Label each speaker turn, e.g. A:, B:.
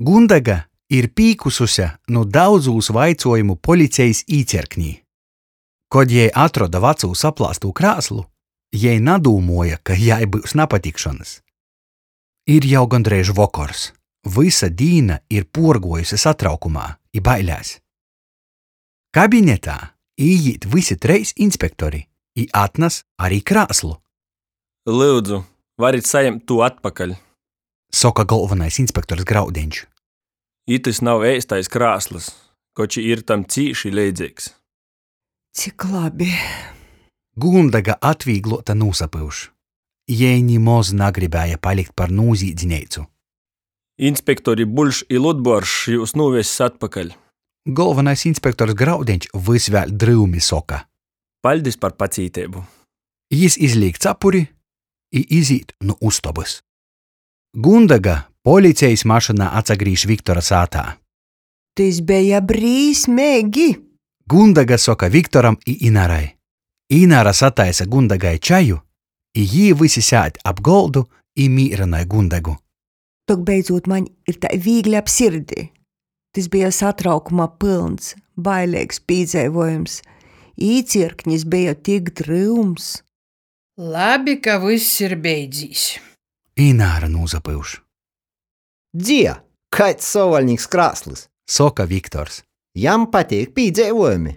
A: Gundega ir pīkususe nu daudzūs vaicuojumu policejis īcierknī. Kod jei atroda vacū saplāstū krāslu, jei nadūmuoja, ka jai byus napatikšonys. Ir jau gondreiž vokors. Vysa dīna ir puorguojuse satraukumā i bailēs. Kabinetā īīt vysi treis inspektori i atnas ari krāslu.
B: Lyudzu, varit sajimt tū atpakaļ!
A: Soka golvonais inspektors Graudeņš.
B: Itys nav eistais krāslys, koč i ir tam cīši leidzeigs.
C: Cik labi!
A: Gundega atvīgluota nūsapyuš. Jei nimoz nagribēja palikt par nūzīdzineicu.
B: Inspektori Buļš i Ludbuoržs jius nūvess atpakaļ.
A: Golvonais inspektors Graudeņš vys vēļ dryumi soka.
B: Paļdis par pacīteibu!
A: Jis izlīk capuri i izīt nu ustobys. Gundega policejis mašynā atsagrīž Viktora sātā.
C: Tys beja brīsmeigi!
A: Gundega soka Viktoram i Inarai. Inara sataisa Gundegai čaju, i jī vysi sēd ap goldu i mīrynoj Gundegu.
C: Tok beidzūt maņ ir tai vīgli ap sirdi. Tys beja satraukuma pylns, baileigs pīdzeivuojums. Īcierknis beja tik dryums.
D: Labi, ka vyss ir beidzīs.
A: Ināra nūsapyuš.
E: Dzie, kaids sovvaļnīks krāslys!
A: Soka Viktors.
E: Jam pateik pīdzeivuojumi.